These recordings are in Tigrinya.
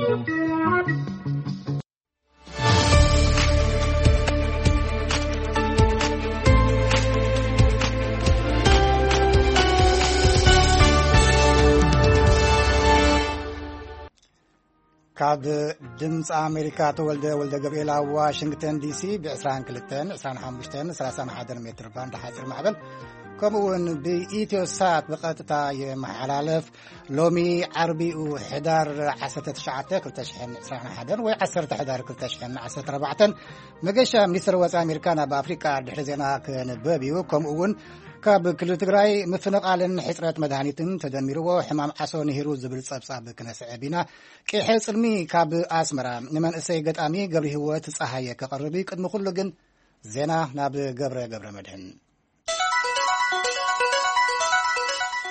ካብ ድምፂ ኣሜሪካ ተወልደ ወልደ ገብርኤል ኣብ ዋሽንግተን ዲሲ ብ22፣ 25፣ 31 ሜትር ባንድ ሓፂር ማዕበል፣ ከምኡ እውን ብኢትዮ ሳት ብቐጥታ የመሓላለፍ። ሎሚ ዓርቢኡ ሕዳር 19 2021 ወይ 10 ሕዳር 2014። መገሻ ሚኒስትር ወፃኢ ኣሜሪካ ናብ ኣፍሪቃ ድሕሪ ዜና ክንበብ እዩ። ከምኡ እውን ካብ ክልል ትግራይ ምፍንቓልን ሕፅረት መድሃኒትን ተደሚርዎ ሕማም ዓሶ ንሂሩ ዝብል ፀብፃብ ክነስዕብ ኢና። ቂሐ ጽልሚ ካብ ኣስመራ ንመንእሰይ ገጣሚ ገብሪ ህይወት ፀሃየ ከቐርብ እዩ። ቅድሚ ኩሉ ግን ዜና ናብ ገብረ ገብረ መድህን።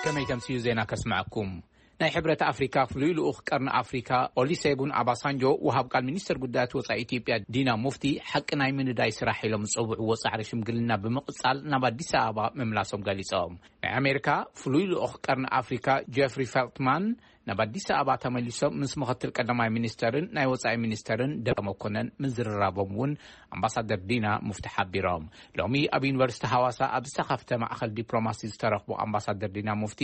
ከመይ ተምስዩ ዜና ከስምዐኩም። ናይ ሕብረት ኣፍሪካ ፍሉይ ልኡኽ ቀርኒ ኣፍሪካ ኦሊሴጉን ኣባሳንጆ፣ ወሃብ ቃል ሚኒስተር ጉዳያት ወፃኢ ኢትዮጵያ ዲና ሙፍቲ፣ ሓቂ ናይ ምንዳይ ስራሕ ኢሎም ዝፀውዕዎ ፃዕሪ ሽምግልና ብምቕፃል ናብ ኣዲስ ኣበባ ምምላሶም ገሊፆም። ናይ ኣሜሪካ ፍሉይ ልኡኽ ቀርኒ ኣፍሪካ ጀፍሪ ፌልትማን ናብ ኣዲስ ኣበባ ተመሊሶም ምስ ምኽትል ቀዳማይ ሚኒስተርን ናይ ወፃኢ ሚኒስተርን ደመቀ መኮነን ምዝርራቦም እውን ኣምባሳደር ዲና ሙፍቲ ሓቢሮም። ሎሚ ኣብ ዩኒቨርሲቲ ሃዋሳ ኣብ ዝተኸፍተ ማእኸል ዲፕሎማሲ ዝተረኽቡ ኣምባሳደር ዲና ሙፍቲ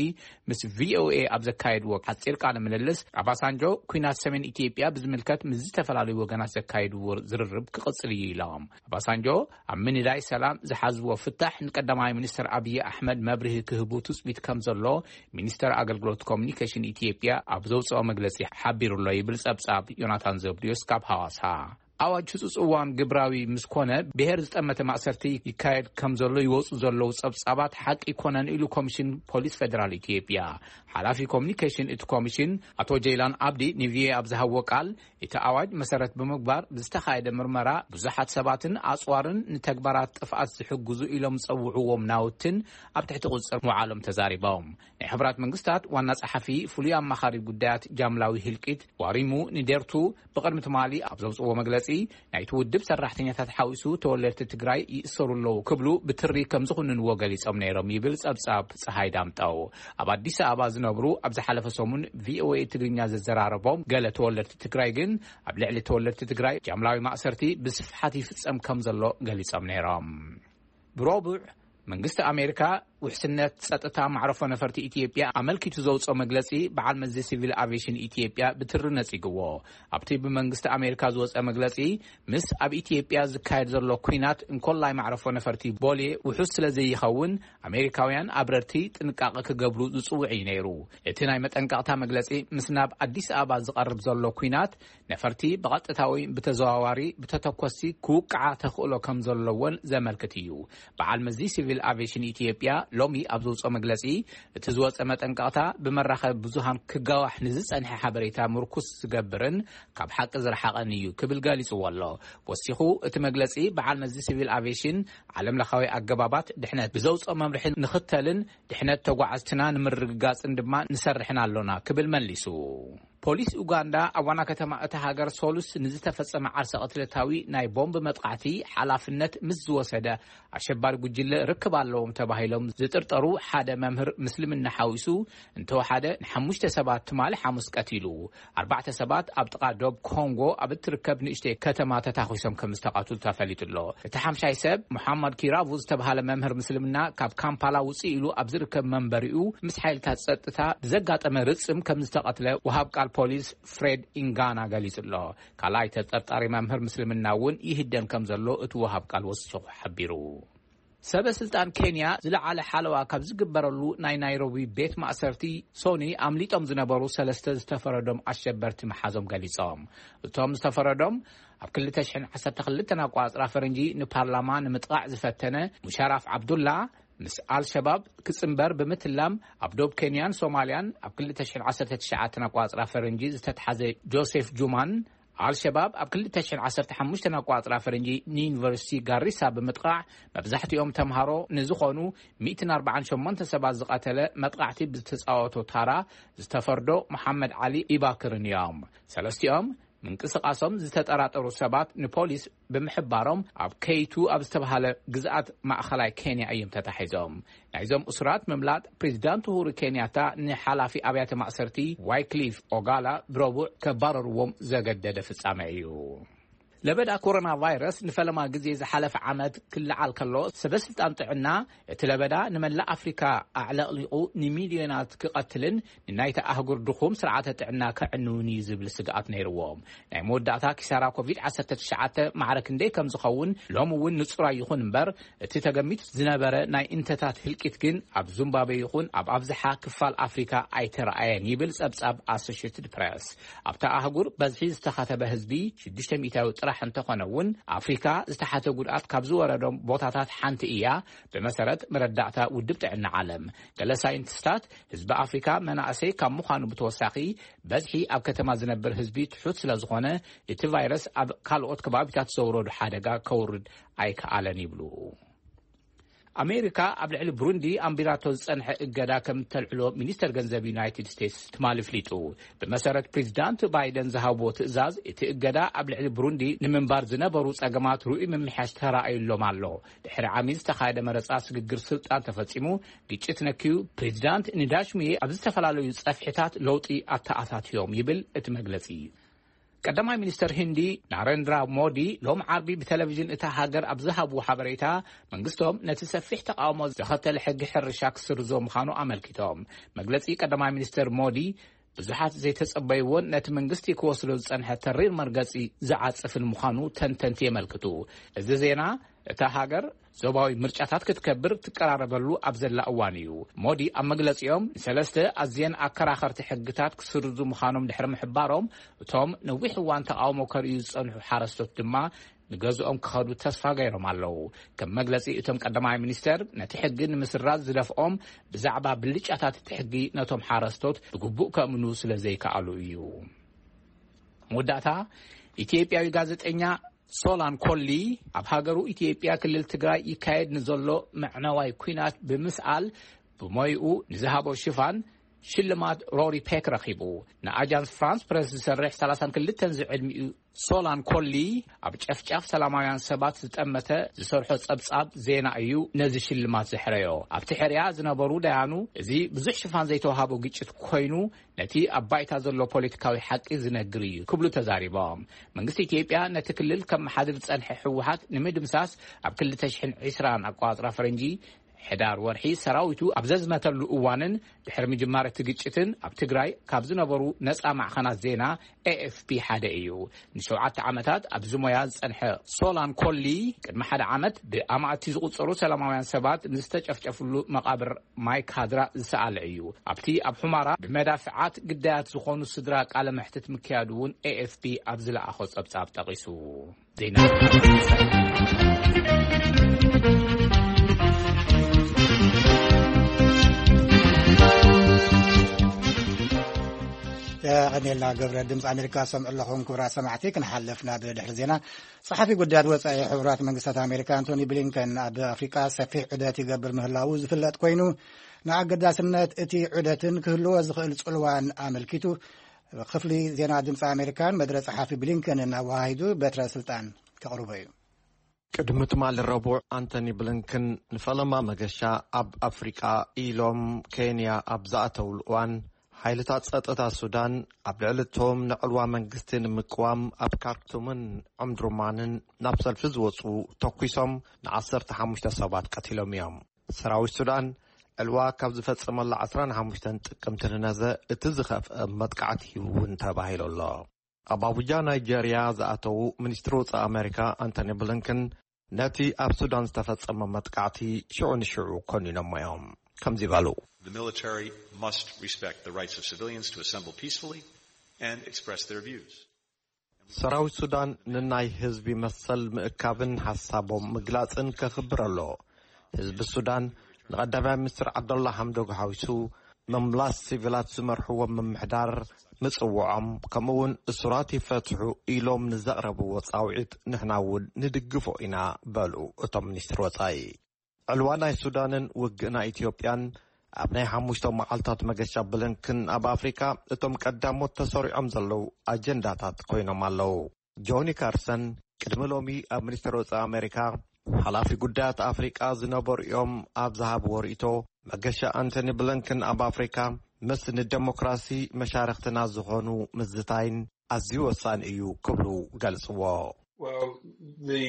ምስ ቪኦኤ ኣብ ዘካየድዎ ሓፂር ቃለ ምልልስ፣ ኣባሳንጆ፣ ኲናት ሰሜን ኢትዮጵያ ብዝምልከት ምስ ዝተፈላለዩ ወገናት ዘካየድዎ ዝርርብ ክቕፅል እዩ ኢሎም። ኣባሳንጆ ኣብ ምንዳይ ሰላም ዝሓዝዎ ፍታሕ ንቀዳማይ ሚኒስትር ኣብይ ኣሕመድ መብርሂ ክህቡ ትፅቢት ከም ዘሎ ሚኒስተር ኣገልግሎት ኮሙኒኬሽን ኢትዮጵያ ኣብ ዘውፅኦ መግለፂ ሓቢሩ ኣሎ ይብል ፀብፃብ ዮናታን ዘብድዮስ ካብ ሃዋሳ። ኣዋጅ ህፁፅ እዋን ግብራዊ ምስ ኮነ፣ ብሄር ዝጠመተ ማእሰርቲ ይካየድ ከም ዘሎ ይወፁ ዘለዉ ፀብፃባት ሓቂ ኣይኮነን ኢሉ ኮሚሽን ፖሊስ ፌደራል ኢትዮጵያ። ሓላፊ ኮሙኒኬሽን እቲ ኮሚሽን ኣቶ ጀይላን ኣብዲ ንቪኦኤ ኣብ ዝሃብዎ ቃል፣ እቲ ኣዋጅ መሰረት ብምግባር ብዝተኻየደ ምርመራ ብዙሓት ሰባትን ኣፅዋርን ንተግባራት ጥፍኣት ዝሕግዙ ኢሎም ዝፀውዕዎም ናውትን ኣብ ትሕቲ ቁፅፅር ምውዓሎም ተዛሪቦም። ናይ ሕቡራት መንግስታት ዋና ጸሓፊ ፍሉይ ኣማኻሪ ጉዳያት ጃምላዊ ህልቂት ዋሪሙ ንዴርቱ ብቕድሚ ትማሊ ኣብ ዘውፅዎ መግለፂ፣ ናይቲ ውድብ ሰራሕተኛታት ሓዊሱ ተወለድቲ ትግራይ ይእሰሩ ኣለዉ ክብሉ ብትሪ ከም ዝኹንንዎ ገሊጾም ነይሮም ይብል ጸብጻብ ፀሃይ ዳምጠው። ኣብ ኣዲስ ኣበባ ዝነብሩ ኣብ ዝሓለፈ ሰሙን ቪኦኤ ትግርኛ ዘዘራረቦም ገለ ተወለድቲ ትግራይ ግን፣ ኣብ ልዕሊ ተወለድቲ ትግራይ ጃምላዊ ማእሰርቲ ብስፍሓት ይፍጸም ከም ዘሎ ገሊጾም ነይሮም። ብረቡዕ፣ መንግስቲ ኣሜሪካ ውሕስነት ጸጥታ ማዕረፎ ነፈርቲ ኢትዮጵያ ኣመልኪቱ ዘውፅኦ መግለፂ፣ በዓል መዚ ሲቪል ኣቪዬሽን ኢትዮጵያ ብትሪ ነፂግዎ። ኣብቲ ብመንግስቲ ኣሜሪካ ዝወፀ መግለፂ፣ ምስ ኣብ ኢትዮጵያ ዝካየድ ዘሎ ኲናት እንኮላይ ማዕረፎ ነፈርቲ ቦሌ ውሑስ ስለ ዘይኸውን፣ ኣሜሪካውያን ኣብረርቲ ጥንቃቐ ክገብሩ ዝፅውዕ እዩ ነይሩ። እቲ ናይ መጠንቀቕታ መግለፂ፣ ምስ ናብ ኣዲስ ኣበባ ዝቐርብ ዘሎ ኲናት፣ ነፈርቲ ብቐጥታ ወይ ብተዘዋዋሪ ብተተኮስቲ ክውቅዓ ተኽእሎ ከም ዘለወን ዘመልክት እዩ። በዓል መዚ ሲቪል ኣቪዬሽን ኢትዮጵያ ሎሚ ኣብ ዘውፅኦ መግለፂ፣ እቲ ዝወፀ መጠንቀቕታ ብመራኸቢ ብዙሃን ክጋዋሕ ንዝፀንሐ ሓበሬታ ምርኩስ ዝገብርን ካብ ሓቂ ዝረሓቐን እዩ ክብል ገሊፅዎ ኣሎ። ወሲኹ፣ እቲ መግለፂ፣ በዓል መዚ ሲቪል ኣቪዬሽን ዓለም ለኻዊ ኣገባባት ድሕነት ብዘውፅኦ መምርሒ ንኽተልን ድሕነት ተጓዓዝትና ንምርግጋፅን ድማ ንሰርሕን ኣሎና ክብል መሊሱ። ፖሊስ ኡጋንዳ ኣብ ዋና ከተማ እታ ሃገር ሶሉስ ንዝተፈጸመ ዓርሰ ቅትለታዊ ናይ ቦምብ መጥቃዕቲ ሓላፍነት ምስ ዝወሰደ ኣሸባሪ ጉጅለ ርክብ ኣለዎም ተባሂሎም ዝጥርጠሩ ሓደ መምህር ምስልምና ሓዊሱ እንተወሓደ ንሓሙሽተ ሰባት ትማሊ ሓሙስ ቀቲሉ። ኣርባዕተ ሰባት ኣብ ጥቓ ዶብ ኮንጎ ኣብ እትርከብ ንእሽተይ ከተማ ተታኺሶም ከም ዝተቐትሉ ተፈሊጡ ኣሎ። እቲ ሓምሻይ ሰብ፣ ሙሓመድ ኪራቡ ዝተባሃለ መምህር ምስልምና፣ ካብ ካምፓላ ውፅእ ኢሉ ኣብ ዝርከብ መንበሪኡ ምስ ሓይልታት ጸጥታ ብዘጋጠመ ርጽም ከም ዝተቐትለ ወሃብ ቃል ፖሊስ ፍሬድ ኢንጋና ገሊጹ ኣሎ። ካልኣይ ተጠርጣሪ መምህር ምስልምና እውን ይህደን ከም ዘሎ እቲ ወሃብ ቃል ወሲኹ ሓቢሩ። ሰበ ስልጣን ኬንያ ዝለዓለ ሓለዋ ካብ ዝግበረሉ ናይ ናይሮቢ ቤት ማእሰርቲ ሶኒ ኣምሊጦም ዝነበሩ ሰለስተ ዝተፈረዶም ኣሸበርቲ ምሓዞም ገሊጾም። እቶም ዝተፈረዶም ኣብ 2012 ኣቋጽራ ፈረንጂ ንፓርላማ ንምጥቓዕ ዝፈተነ ሙሻራፍ ዓብዱላ፣ ምስ ኣልሸባብ ክጽንበር ብምትላም ኣብ ዶብ ኬንያን ሶማልያን ኣብ 2019 ኣቋጽራ ፈረንጂ ዝተትሓዘ ጆሴፍ ጁማን፣ ኣልሸባብ ኣብ 2015 ኣቋጽራ ፈረንጂ ንዩኒቨርሲቲ ጋሪሳ ብምጥቓዕ መብዛሕትኦም ተምሃሮ ንዝኾኑ 148 ሰባት ዝቐተለ መጥቓዕቲ ብዝተጻወቶ ታራ ዝተፈርዶ መሓመድ ዓሊ ኢባክርን እዮም። ሰለስቲኦም ምንቅስቓሶም ዝተጠራጠሩ ሰባት ንፖሊስ ብምሕባሮም ኣብ ከይቱ ኣብ ዝተባሃለ ግዝኣት ማእኸላይ ኬንያ እዮም ተታሒዞም። ናይዞም እሱራት ምምላጥ ፕሬዚዳንት ኡሁሩ ኬንያታ ንሓላፊ ኣብያተ ማእሰርቲ ዋይክሊፍ ኦጋላ ብረቡዕ ከባረርዎም ዘገደደ ፍጻመ እዩ። ለበዳ ኮሮና ቫይረስ ንፈለማ ግዜ ዝሓለፈ ዓመት ክለዓል ከሎ፣ ሰበስልጣን ጥዕና እቲ ለበዳ ንመላእ ኣፍሪካ ኣዕለቕሊቑ ንሚልዮናት ክቐትልን ንናይታ ኣህጉር ድኹም ስርዓተ ጥዕና ከዕንውን እዩ ዝብል ስግኣት ነይርዎም። ናይ መወዳእታ ኪሳራ ኮቪድ ዓሰርተ ትሽዓተ ማዕረ ክንደይ ከም ዝኸውን ሎሚ እውን ንጹር ኣይኹን እምበር፣ እቲ ተገሚቱ ዝነበረ ናይ እንተታት ህልቂት ግን ኣብ ዙምባቤ ይኹን ኣብ ኣብዝሓ ክፋል ኣፍሪካ ኣይተረኣየን ይብል ጸብጻብ ኣሶሽትድ ፕረስ። ኣብታ ኣህጉር በዝሒ ዝተኸተበ ህዝቢ ሽዱሽተ ሚእታዊ ጥራሕ እንተኾነ እውን፣ ኣፍሪካ ዝተሓተ ጉድኣት ካብ ዝወረዶም ቦታታት ሓንቲ እያ፣ ብመሰረት መረዳእታ ውድብ ጥዕና ዓለም። ገለ ሳይንቲስታት፣ ህዝቢ ኣፍሪካ መናእሰይ ካብ ምዃኑ ብተወሳኺ፣ በዝሒ ኣብ ከተማ ዝነብር ህዝቢ ትሑት ስለ ዝኾነ፣ እቲ ቫይረስ ኣብ ካልኦት ከባቢታት ዘውረዱ ሓደጋ ከውርድ ኣይከኣለን ይብሉ። ኣሜሪካ ኣብ ልዕሊ ብሩንዲ ኣንቢራቶ ዝጸንሐ እገዳ ከም እተልዕሎ ሚኒስተር ገንዘብ ዩናይትድ ስቴትስ ትማሊ ኣፍሊጡ። ብመሰረት ፕሬዚዳንት ባይደን ዝሃብዎ ትእዛዝ፣ እቲ እገዳ ኣብ ልዕሊ ብሩንዲ ንምንባር ዝነበሩ ጸገማት ርኡይ ምምሕያሽ ተራእዩሎም ኣሎ። ድሕሪ ዓሚ ዝተኻየደ መረጻ ስግግር ስልጣን ተፈጺሙ፣ ግጭት ነክዩ፣ ፕሬዚዳንት ንዳሽሙዬ ኣብ ዝተፈላለዩ ጸፍሕታት ለውጢ ኣተኣታትዮም ይብል እቲ መግለጺ። ቀዳማይ ሚኒስተር ህንዲ ናረንድራ ሞዲ ሎም ዓርቢ ብቴሌቪዥን እታ ሃገር ኣብ ዝሃብዎ ሓበሬታ፣ መንግስቶም ነቲ ሰፊሕ ተቃውሞ ዘኸተለ ሕጊ ሕርሻ ክስርዞ ምዃኑ ኣመልኪቶም። መግለጺ ቀዳማይ ሚኒስተር ሞዲ ብዙሓት ዘይተጸበይዎን ነቲ መንግስቲ ክወስዶ ዝጸንሐ ተሪር መርገጺ ዝዓጽፍን ምዃኑ ተንተንቲ የመልክቱ። እዚ ዜና እታ ሃገር ዞባዊ ምርጫታት ክትከብር ትቀራረበሉ ኣብ ዘላ እዋን እዩ። ሞዲ ኣብ መግለጺኦም፣ ንሰለስተ ኣዝየን ኣከራኸርቲ ሕግታት ክስርዙ ምዃኖም ድሕሪ ምሕባሮም፣ እቶም ነዊሕ እዋን ተቃውሞ ከርእዩ ዝጸንሑ ሓረስቶት ድማ ንገዝኦም ክኸዱ ተስፋ ገይሮም ኣለዉ። ከም መግለጺ እቶም ቀዳማይ ሚኒስተር፣ ነቲ ሕጊ ንምስራዝ ዝደፍኦም ብዛዕባ ብልጫታት እቲ ሕጊ ነቶም ሓረስቶት ብግቡእ ከእምኑ ስለ ዘይከኣሉ እዩ። መወዳእታ፣ ኢትዮጵያዊ ጋዜጠኛ ሶላን ኮሊ ኣብ ሃገሩ ኢትዮጵያ ክልል ትግራይ ይካየድ ንዘሎ መዕነዋይ ኲናት ብምስኣል ብሞይኡ ንዝሃቦ ሽፋን ሽልማት ሮሪ ፔክ ረኺቡ። ንኣጃንስ ፍራንስ ፕረስ ዝሰርሕ ሰላሳን ክልተን ዝዕድሚኡ ሶላን ኮሊ፣ ኣብ ጨፍጫፍ ሰላማውያን ሰባት ዝጠመተ ዝሰርሖ ጸብጻብ ዜና እዩ ነዚ ሽልማት ዘሕረዮ። ኣብቲ ሕርያ ዝነበሩ ደያኑ፣ እዚ ብዙሕ ሽፋን ዘይተዋሃቦ ግጭት ኮይኑ፣ ነቲ ኣብ ባይታ ዘሎ ፖለቲካዊ ሓቂ ዝነግር እዩ ክብሉ ተዛሪቦም። መንግስቲ ኢትዮጵያ ነቲ ክልል ከመሓድር ዝጸንሐ ህወሓት ንምድምሳስ ኣብ ክልተ ሽሕን ዕስራን ኣቆጻጽራ ፈረንጂ ሕዳር ወርሒ ሰራዊቱ ኣብ ዘዝመተሉ እዋንን ድሕሪ ምጅማር እቲ ግጭትን ኣብ ትግራይ ካብ ዝነበሩ ነጻ ማዕኸናት ዜና ኤ ኤፍ ፒ ሓደ እዩ። ንሸውዓተ ዓመታት ኣብዚ ሞያ ዝጸንሐ ሶላን ኮሊ፣ ቅድሚ ሓደ ዓመት ብኣማእቲ ዝቑጸሩ ሰላማውያን ሰባት ንዝተጨፍጨፍሉ መቓብር ማይ ካድራ ዝሰኣለ እዩ። ኣብቲ ኣብ ሑማራ ብመዳፍዓት ግዳያት ዝኾኑ ስድራ ቃለ መሕትት ምክያዱ እውን ኤ ኤፍ ፒ ኣብ ዝለኣኾ ጸብጻብ ጠቒሱ። ዜና። የቐኔልና ገብረ። ድምፂ ኣሜሪካ ሰምዑ ኣለኹም። ክቡራት ሰማዕቲ፣ ክንሓልፍ ናብ ድሕሪ ዜና። ጸሓፊ ጉዳያት ወጻኢ ሕቡራት መንግስታት ኣሜሪካ ኣንቶኒ ብሊንከን ኣብ ኣፍሪቃ ሰፊሕ ዑደት ይገብር ምህላዉ ዝፍለጥ ኮይኑ፣ ንኣገዳስነት እቲ ዑደትን ክህልዎ ዝኽእል ጽልዋን ኣመልኪቱ፣ ክፍሊ ዜና ድምፂ ኣሜሪካን መደረ ጸሓፊ ብሊንከንን ኣወሃሂዱ በትረ ስልጣን ከቕርቦ እዩ። ቅድሚ ትማሊ ረቡዕ ኣንቶኒ ብሊንከን ንፈለማ መገሻ ኣብ ኣፍሪቃ ኢሎም ኬንያ ኣብ ዝኣተውሉ እዋን፣ ሓይልታት ጸጥታ ሱዳን ኣብ ልዕሊ እቶም ንዕልዋ መንግስቲ ንምቅዋም ኣብ ካርቱምን ዑምድሩማንን ናብ ሰልፊ ዝወጹ ተኲሶም ንዓሰርተ ሓሙሽተ ሰባት ቀቲሎም እዮም። ሰራዊት ሱዳን ዕልዋ ካብ ዝፈጸመላ ዓሰርተ ሓሙሽተ ጥቅምቲ ንነዘ እቲ ዝኸፍአ መጥቃዕቲ እውን ተባሂሉ ኣሎ። ኣብ ኣቡጃ ናይጀርያ ዝኣተዉ ሚኒስትሪ ወጻኢ ኣሜሪካ ኣንቶኒ ብሊንከን፣ ነቲ ኣብ ሱዳን ዝተፈጸመ መጥቃዕቲ ሽዑ ንሽዑ ኮኒኖሞ እዮም። ከምዚ በሉ። The military must respect the rights of civilians to assemble peacefully and express their views. ሰራዊት ሱዳን ንናይ ህዝቢ መሰል ምእካብን ሓሳቦም ምግላጽን ከኽብር ኣለዎ። ህዝቢ ሱዳን ንቐዳማይ ሚኒስትር ዓብደላ ሓምዶክ ሓዊሱ ምምላስ ሲቪላት ዝመርሕዎ ምምሕዳር ምጽውዖም፣ ከምኡውን እሱራት ይፈትሑ ኢሎም ንዘቕረብዎ ጻውዒት ንሕና እውን ንድግፎ ኢና በሉ እቶም ሚኒስትር ወጻኢ። ዕልዋ ናይ ሱዳንን ውግእ ናይ ኢትዮጵያን ኣብ ናይ ሓሙሽተ መዓልታት መገሻ ብሊንከን ኣብ ኣፍሪካ፣ እቶም ቀዳሞት ተሰሪዖም ዘለዉ ኣጀንዳታት ኮይኖም ኣለዉ። ጆኒ ካርሰን ቅድሚ ሎሚ ኣብ ሚኒስትር ወፃኢ ኣሜሪካ ሓላፊ ጉዳያት ኣፍሪቃ ዝነበሩ እዮም። ኣብ ዝሃብዎ ርእይቶ፣ መገሻ ኣንቶኒ ብሊንከን ኣብ ኣፍሪካ ምስ ንደሞክራሲ መሻርክትና ዝኾኑ ምዝታይን ኣዝዩ ወሳኒ እዩ ክብሉ ገልጽዎ። Well, the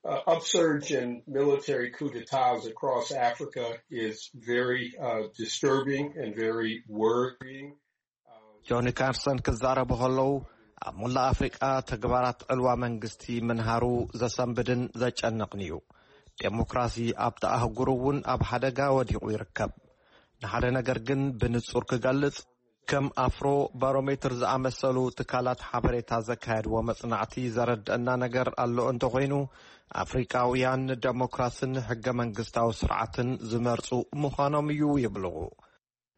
uh, upsurge in military coup d'etats across Africa is very uh, disturbing and very worrying. ጆኒ ካርሰን ክዛረቡ ከለዉ፣ ኣብ ሙላእ ኣፍሪቃ ተግባራት ዕልዋ መንግስቲ ምንሃሩ ዘሰንብድን ዘጨንቕን እዩ። ዴሞክራሲ ኣብቲ ኣህጉር እውን ኣብ ሓደጋ ወዲቑ ይርከብ። ንሓደ ነገር ግን ብንጹር ክገልጽ፣ ከም ኣፍሮ ባሮሜትር ዝኣመሰሉ ትካላት ሓበሬታ ዘካየድዎ መጽናዕቲ ዘረድአና ነገር ኣሎ እንተኾይኑ፣ ኣፍሪቃውያን ንደሞክራስን ሕገ መንግስታዊ ስርዓትን ዝመርጹ ምዃኖም እዩ ይብሉ።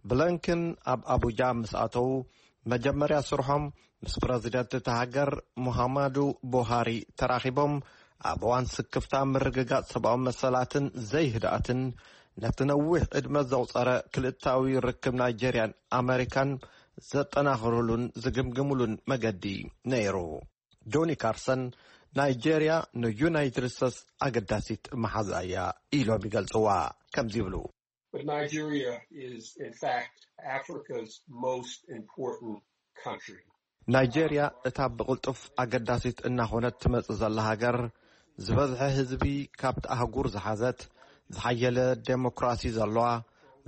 ብሊንከን ኣብ ኣቡጃ ምስ ኣተዉ፣ መጀመርያ ስርሖም ምስ ፕረዚደንት እታ ሃገር ሙሃማዱ ቡሃሪ ተራኺቦም፣ ኣብ እዋን ስክፍታ ምርግጋጽ ሰብኣዊ መሰላትን ዘይህድኣትን ነቲ ነዊሕ ዕድመ ዘቑጸረ ክልታዊ ርክብ ናይጀርያን ኣመሪካን ዘጠናኽሩሉን ዝግምግሙሉን መገዲ ነይሩ። ጆኒ ካርሰን፣ ናይጀርያ ንዩናይትድ ስቴትስ ኣገዳሲት መሓዛ እያ ኢሎም ይገልጽዋ። ከምዚ ይብሉ። But Nigeria is, in fact, Africa's most important country. ናይጀርያ እታ ብቕልጡፍ ኣገዳሲት እናኾነት ትመጽእ ዘላ ሃገር፣ ዝበዝሐ ህዝቢ ካብቲ ኣህጉር ዝሓዘት፣ ዝሓየለ ዴሞክራሲ ዘለዋ፣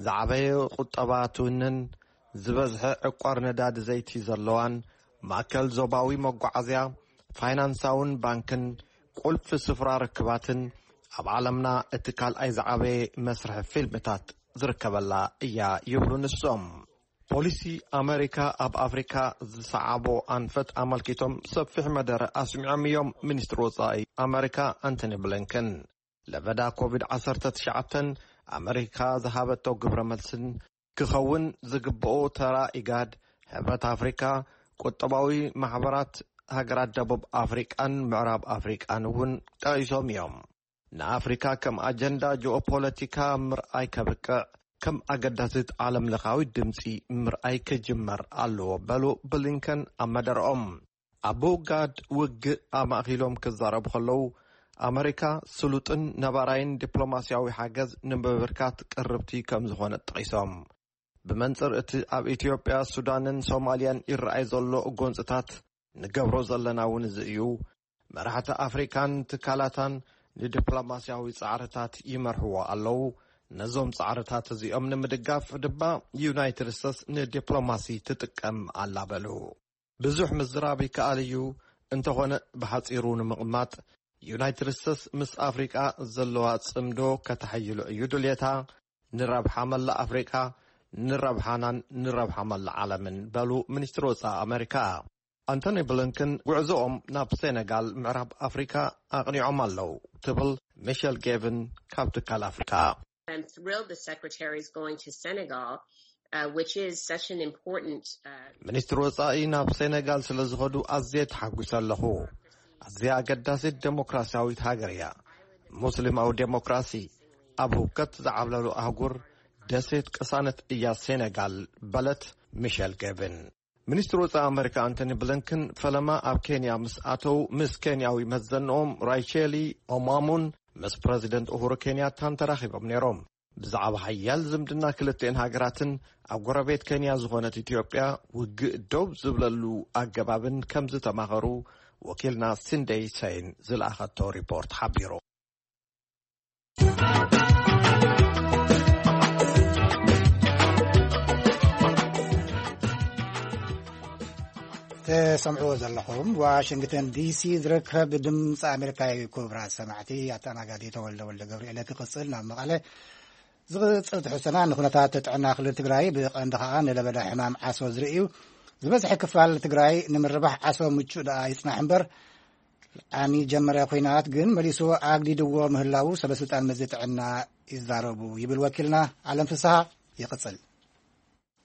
ዝዓበየ ቁጠባ ትውንን፣ ዝበዝሐ ዕቋር ነዳዲ ዘይቲ ዘለዋን፣ ማእከል ዞባዊ መጓዓዝያ፣ ፋይናንሳውን ባንክን፣ ቁልፊ ስፍራ ርክባትን፣ ኣብ ዓለምና እቲ ካልኣይ ዝዓበየ መስርሒ ፊልምታት ዝርከበላ እያ ይብሉ ንሶም። ፖሊሲ ኣመሪካ ኣብ ኣፍሪካ ዝሰዓቦ ኣንፈት ኣመልኪቶም ሰፊሕ መደረ ኣስሚዖም እዮም ሚኒስትር ወፃኢ ኣመሪካ ኣንቶኒ ብሊንከን። ለበዳ ኮቪድ ዓሰርተ ትሽዓተ ኣመሪካ ዝሃበቶ ግብረ መልስን ክኸውን ዝግብኦ ተራ ኢጋድ፣ ሕብረት ኣፍሪካ፣ ቁጠባዊ ማሕበራት ሃገራት ደቡብ ኣፍሪቃን ምዕራብ ኣፍሪቃን እውን ጠቒሶም እዮም። ንኣፍሪካ ከም ኣጀንዳ ጂኦፖለቲካ ምርኣይ ከብቅዕ፣ ከም ኣገዳሲት ዓለም ለኻዊ ድምፂ ምርኣይ ክጅመር ኣለዎ በሉ ብሊንከን ኣብ መደረኦም። ኣብ ኡጋድ ውግእ ኣማእኪሎም ክዛረቡ ከለዉ፣ ኣመሪካ ስሉጥን ነባራይን ዲፕሎማስያዊ ሓገዝ ንምብርካት ቅርብቲ ከም ዝኾነት ጠቒሶም። ብመንጽር እቲ ኣብ ኢትዮጵያ፣ ሱዳንን ሶማልያን ይረኣይ ዘሎ ጎንጽታት፣ ንገብሮ ዘለና እውን እዚ እዩ። መራሕቲ ኣፍሪካን ትካላታን ንዲፕሎማስያዊ ጻዕርታት ይመርሕዎ ኣለዉ። ነዞም ጻዕርታት እዚኦም ንምድጋፍ ድማ ዩናይትድ ስቴትስ ንዲፕሎማሲ ትጥቀም ኣላ በሉ። ብዙሕ ምዝራብ ይከኣል እዩ፣ እንተኾነ ብሓጺሩ ንምቕማጥ፣ ዩናይትድ ስቴትስ ምስ ኣፍሪቃ ዘለዋ ጽምዶ ከተሐይሎ እዩ ድልየታ፣ ንረብሓ መላእ ኣፍሪቃ፣ ንረብሓናን ንረብሓ መላእ ዓለምን በሉ ሚኒስትር ወጻኢ ኣመሪካ። ኣንቶኒ ብሊንከን ጉዕዞኦም ናብ ሴኔጋል ምዕራብ ኣፍሪካ ኣቕኒዖም ኣለዉ ትብል ሚሸል ጌቭን ካብ ትካል ኣፍሪካ። I'm thrilled the secretary is going to Senegal, uh, which is such an important. Uh... ሚኒስትር ወጻኢ ናብ ሴኔጋል ስለ ዝኸዱ ኣዝየ ተሓጒሰ ኣለኹ። ኣዝያ ኣገዳሲት ዴሞክራሲያዊት ሃገር እያ። ሙስሊማዊ ዴሞክራሲ ኣብ ህውከት ዝዓብለሉ ኣህጉር ደሴት ቅሳነት እያ ሴኔጋል በለት ሚሸል ጌቭን። ሚኒስትር ወጻኢ ኣመሪካ ኣንቶኒ ብሊንከን ፈለማ ኣብ ኬንያ ምስ ኣተው ምስ ኬንያዊ መዘንኦም ራይቼሊ ኦማሙን ምስ ፕረዚደንት ኡሁሩ ኬንያታን ተራኺቦም ነይሮም። ብዛዕባ ሓያል ዝምድና ክልቲኤን ሃገራትን ኣብ ጎረቤት ኬንያ ዝኾነት ኢትዮጵያ ውግእ ደው ዝብለሉ ኣገባብን ከም ዝተማኸሩ ወኪልና ሲንደይ ሰይን ዝለኣኸቶ ሪፖርት ሓቢሩ። ተሰምዕዎ ዘለኹም ዋሽንግተን ዲሲ ዝርከብ ድምፂ ኣሜሪካ እዩ። ክቡራት ሰማዕቲ፣ ኣተኣናጋዲ ተወልደ ወልደ ገብርኤለ ክቕፅል ናብ መቐለ ዝቕፅል ትሕዝቶና ንኩነታት ጥዕና ክልል ትግራይ ብቐንዲ ከዓ ንለበዳ ሕማም ዓሶ ዝርኢ እዩ። ዝበዝሐ ክፋል ትግራይ ንምርባሕ ዓሶ ምቹእ ደኣ ይፅናሕ እምበር ዓሚ ጀመረ ኩናት ግን መሊሱ ኣግዲድዎ ምህላው ሰበስልጣን መዚ ጥዕና ይዛረቡ ይብል ወኪልና ኣለም ፍስሃ። ይቕፅል።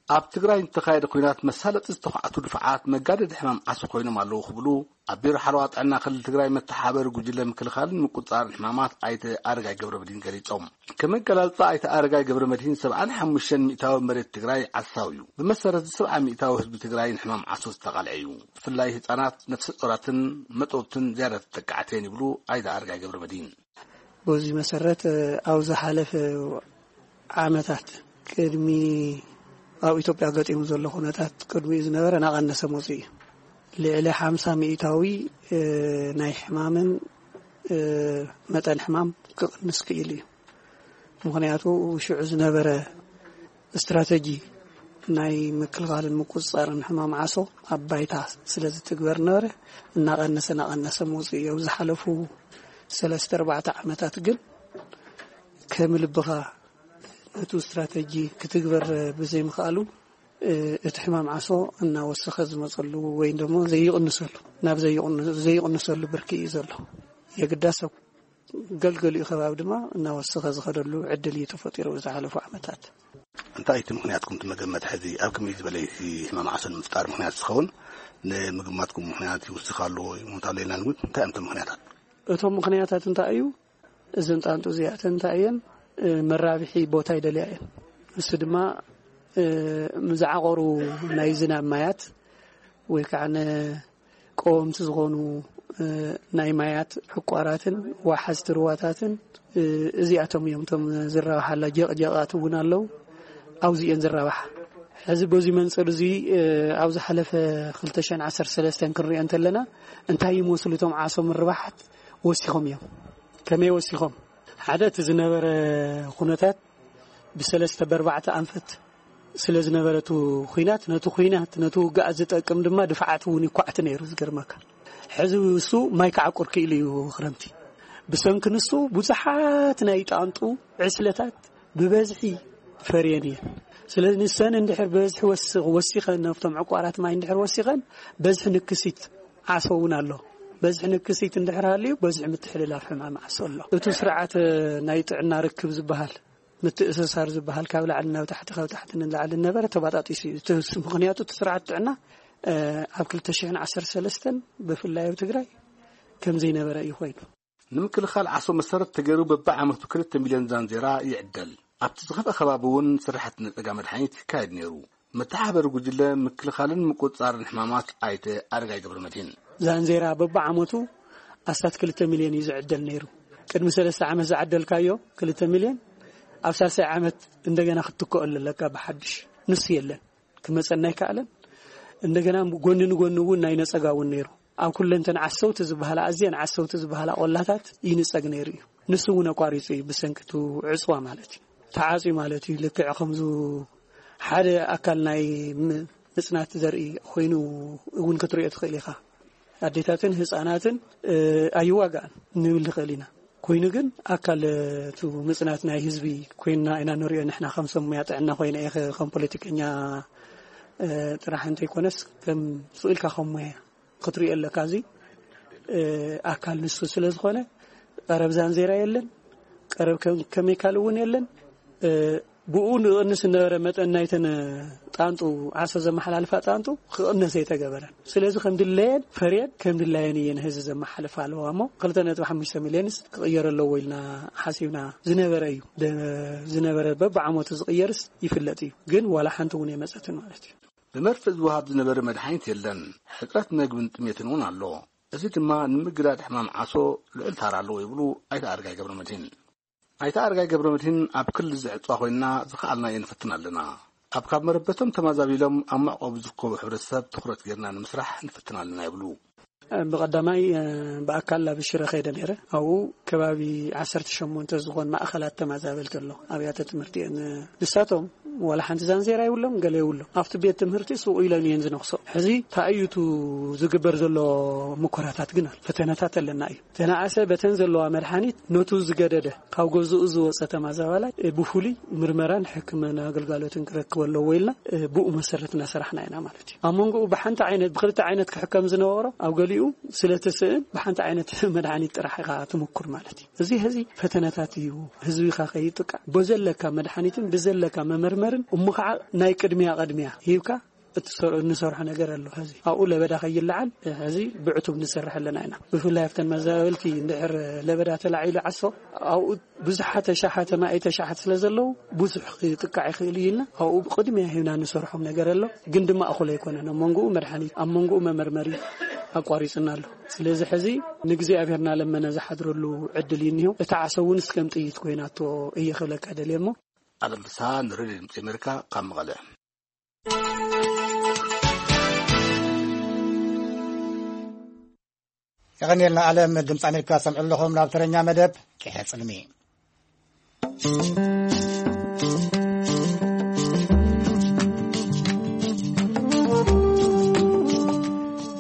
ኣብ ትግራይ ዝተኻየደ ኲናት መሳለጢ ዝተዃዕቱ ድፋዓት መጋደዲ ሕማም ዓሶ ኮይኖም ኣለዉ ክብሉ ኣብ ቢሮ ሓለዋ ጥዕና ክልል ትግራይ መተሓበሪ ጉጅለ ምክልኻልን ምቁፅፃርን ሕማማት ኣይተ ኣረጋይ ገብረ መድህን ገሊፆም። ከመገላልፃ ኣይተ ኣረጋይ ገብረ መድህን ሰብዓን ሓሙሽተን ሚእታዊ መሬት ትግራይ ዓሳው እዩ። ብመሰረት እዚ ሰብዓ ሚእታዊ ህዝቢ ትግራይ ንሕማም ዓሶ ዝተቓልዐ እዩ። ብፍላይ ህፃናት፣ ነፍሰ ጾራትን መጠውትን ዝያዳ ተጠቃዕቲ እየን ይብሉ ኣይተ ኣረጋይ ገብረ መድህን። በዚ መሰረት ኣብ ዝሓለፈ ዓመታት ቅድሚ ኣብ ኢትዮጵያ ገጢሙ ዘሎ ኩነታት ቅድሚኡ ዝነበረ እናቐነሰ መፂኡ እዩ። ልዕሊ ሓምሳ ሚእታዊ ናይ ሕማምን መጠን ሕማም ክቕንስ ክኢሉ እዩ። ምኽንያቱ ሽዑ ዝነበረ ስትራተጂ ናይ ምክልኻልን ምቁፅፃርን ሕማም ዓሶ ኣብ ባይታ ስለ ዝትግበር ነበረ፣ እናቐነሰ እናቐነሰ መፂኡ እዩ። ኣብ ዝሓለፉ ሰለስተ ኣርባዕተ ዓመታት ግን ከም ልብኻ ነቱ ስትራተጂ ክትግበር ብዘይምኽኣሉ እቲ ሕማም ዓሶ እናወሰኸ ዝመፀሉ ወይ ደሞ ዘይቕንሰሉ ናብ ዘይቕንሰሉ ብርኪ እዩ ዘሎ። የግዳስ ኣብ ገልገሊኡ ከባቢ ድማ እናወሰኸ ዝኸደሉ ዕድል እዩ ተፈጢሩ ዝሓለፉ ዓመታት። እንታይ እቲ ምኽንያትኩም ትመገመት ሕዚ ኣብ ከመይ ዝበለ ሕማም ዓሶ ንምፍጣር ምኽንያት ዝኸውን ንምግማትኩም ምኽንያት ይውስኽ ኣለዎ ይሞት ኣሎ ኢልና ንግምት? እንታይ እዮም እቶም ምኽንያታት? እቶም ምኽንያታት እንታይ እዩ? እዘን ጣንጡ እዚኣተን እንታይ እየን? መራብሒ ቦታ ይደልያ እየን። እሱ ድማ ምዝዓቆሩ ናይ ዝናብ ማያት ወይ ከዓ ቀወምቲ ዝኾኑ ናይ ማያት ዕቋራትን ዋሓዝቲ ርዋታትን እዚኣቶም እዮም እቶም ዝረባሓላ። ጀቕጀቓት እውን ኣለዉ፣ ኣብዚእን ዝረባሓ። ሕዚ በዚ መንፅር እዚ ኣብ ዝሓለፈ ክልተ ሽሕን ዓሰርተ ሰለስተን ክንሪኦ እንተለና እንታይ ይመስሉ እቶም ዓሶ ምርባሓት ወሲኾም እዮም። ከመይ ወሲኾም? ሓደ እቲ ዝነበረ ኩነታት ብሰለስተ በርባዕተ ኣንፈት ስለ ዝነበረቱ ኩናት ነቲ ኩናት ነቲ ውግኣት ዝጠቅም ድማ ድፍዓት እውን ይኳዕቲ ነይሩ። ዝገርመካ ሕዚ እሱ ማይ ክዓቁር ክኢሉ እዩ። ክረምቲ ብሰንኪ ንሱ ብዙሓት ናይ ጣንጡ ዕስለታት ብበዝሒ ፈርየን እየን። ስለዚ ንሰን እንድሕር በዝሒ ወሲኸን ነብቶም ዕቋራት ማይ እንድሕር ወሲኸን በዝሒ ንክሲት ዓሶ እውን ኣሎ። በዝሒ ንክሲት እንድሕር ሃልዩ በዝሒ ምትሕልላፍ ሕማም ዓሶ ኣሎ። እቲ ስርዓት ናይ ጥዕና ርክብ ዝበሃል ምትእስሳር ዝበሃል ካብ ላዕሊ ናብ ታሕቲ ካብ ታሕቲ ንላዕሊ ነበረ ተባጣጢሱ እዩ። ምክንያቱ እቲ ስርዓት ጥዕና ኣብ ክልተ ሽሕን ዓሰርተ ሰለስተን ብፍላይ ኣብ ትግራይ ከም ዘይነበረ እዩ ኮይኑ። ንምክልኻል ዓሶ መሰረት ተገይሩ በብዓመቱ ክልተ ሚልዮን ዛንዜራ ይዕደል። ኣብቲ ዝኸፍአ ከባቢ እውን ስራሕቲ ነፀጋ መድሓኒት ይካየድ ነይሩ። መተሓበሪ ጉጅለ ምክልኻልን ምቁፅፃርን ሕማማት ኣይተ ኣረጋይ ገብረ መድህን። ዛንዜራ በብዓመቱ ኣስታት ክልተ ሚልዮን እዩ ዝዕደል ነይሩ። ቅድሚ ሰለስተ ዓመት ዝዓደልካዮ ክልተ ሚልዮን ኣብ ሳልሳይ ዓመት እንደገና ክትትክኦ ኣለካ ብሓድሽ። ንሱ የለን፣ ክመፀና ኣይከኣለን። እንደገና ጎኒ ንጎኒ እውን ናይ ነፀጋ እውን ነይሩ። ኣብ ኩለንተን ዓሰውቲ ዝበሃላ ኣዝየን ዓሰውቲ ዝበሃላ ቆላታት ይንፀግ ነይሩ እዩ። ንሱ እውን ኣቋሪፁ እዩ ብሰንኪ እቲ ዕፅዋ ማለት እዩ። ተዓፅዩ ማለት እዩ። ልክዕ ከምዚ ሓደ ኣካል ናይ ምፅናት ዘርኢ ኮይኑ እውን ክትሪኦ ትኽእል ኢኻ። ኣዴታትን ህፃናትን ኣይዋጋእን ንብል ንኽእል ኢና። ኮይኑ ግን ኣካል እቲ ምፅናት ናይ ህዝቢ ኮይንና ኢና ንሪኦ። ንሕና ከም ሰብ ሙያ ጥዕና ኮይነ እየ ከም ፖለቲከኛ ጥራሕ እንተይኮነስ ከም ስኢልካ ከም ሙያ ክትሪኦ ኣለካ። እዚ ኣካል ንሱ ስለ ዝኾነ ቀረብ ዛንዜራ የለን፣ ቀረብ ከሚካል እውን የለን። ብኡ ንቕንስ ዝነበረ መጠን ናይተን ጣንጡ ዓሶ ዘመሓላልፋ ጣንጡ ክቕነስ ኣይተገበረን። ስለዚ ከም ድለየን ፈርየን ከም ድላየን እየን ህዚ ዘመሓልፋ ኣለዋ እሞ ክልተ ነጥቢ ሓሙሽተ ሚልዮንስ ክቕየር ኣለዎ ኢልና ሓሲብና ዝነበረ እዩ። ዝነበረ በብዓመቱ ዝቕየርስ ይፍለጥ እዩ፣ ግን ዋላ ሓንቲ እውን የመፀትን ማለት እዩ። ብመርፍእ ዝወሃብ ዝነበረ መድሓኒት የለን። ሕፅረት መግብን ጥሜትን እውን ኣሎ። እዚ ድማ ንምግዳድ ሕማም ዓሶ ልዑል ታራ ኣለዎ ይብሉ ኣይተ ኣረጋይ ገብረ መድህን። ኣይተ ኣረጋይ ገብረ መድህን ኣብ ክልል ዘዕፅዋ ኮይንና ዝኸኣልናዮ ንፍትን ኣለና። ኣብ ካብ መረበቶም ተማዛቢሎም ኣብ መዕቆቢ ዝርከቡ ሕብረተሰብ ትኹረት ጌርና ንምስራሕ ንፍትን ኣለና ይብሉ። ብቐዳማይ ብኣካል ኣብ ሽረ ከይደ ነይረ። ኣብኡ ከባቢ ዓሰርተ ሸሞንተ ዝኾን ማእኸላት ተማዛበልቲ ኣሎ ኣብያተ ትምህርቲ እየን። ንሳቶም ዋላ ሓንቲ ዛንዜራ ይብሎም ገለ ይብሎም ኣብቲ ቤት ትምህርቲ ስቕ ኢለን እየን ዝነኽሶ። ሕዚ ታእዩቱ ዝግበር ዘሎ ምኮራታት ግን ኣሎ። ፈተነታት ኣለና እዩ። ተነኣሰ በተን ዘለዋ መድሓኒት ነቱ ዝገደደ ካብ ገዝኡ ዝወፀ ተማዛባላይ ብፍሉይ ምርመራን ሕክምና ኣገልጋሎትን ክረክብ ኣለዎ ኢልና ብኡ መሰረት እናሰራሕና ኢና ማለት እዩ። ኣብ መንጎኡ ብሓንቲ ዓይነት ብክልተ ዓይነት ክሕከም ዝነበሮ ኣብ ገሊኡ ስለ ትስእን ብሓንቲ ዓይነት መድሓኒት ጥራሕ ኢኻ ትምኩር ማለት እዩ። እዚ ሕዚ ፈተነታት እዩ። ህዝቢኻ ከይጥቃዕ ብዘለካ መድሓኒትን ብዘለካ መመርመሪ እሞ ከዓ ናይ ቅድሚያ ቅድሚያ ሂብካ እቲ ሰር- እንሰርሖ ነገር ኣሎ። ሕዚ ኣብኡ ለበዳ ከይለዓል ሕዚ ብዕቱብ ንሰርሕ ኣለና ኢና። ብፍላይ ኣብተን መዛበልቲ እንድሕር ለበዳ ተላዒሉ ዓሶ ኣብኡ ብዙሓት ተሻሓተ ማእተ ሻሓት ስለ ዘለዉ ብዙሕ ክጥቃዕ ይኽእል እዩ ኢልና ኣብኡ ቅድሚያ ሂብና ንሰርሖም ነገር ኣሎ። ግን ድማ እኹል ኣይኮነን። ኣብ መንጎኡ መድሓኒት፣ ኣብ መንጎኡ መመርመሪ ኣቋሪፅና ኣሎ። ስለዚ ሕዚ ንእግዚኣብሔር እናለመነ ዝሓድረሉ ዕድል እዩ እኒሆ። እታ ዓሶ እውን እስከም ጥይት ኮይናቶ እየ ክብለካ ደልየ እሞ። ኣለም ፍስሃ ንሬድዮ ድምፂ ኣሜሪካ ካብ መቐለ። የቐንየልና ኣለም። ድምፂ ኣሜሪካ ሰምዑ ኣለኹም። ናብ ተረኛ መደብ ቂሐ ጽልሚ።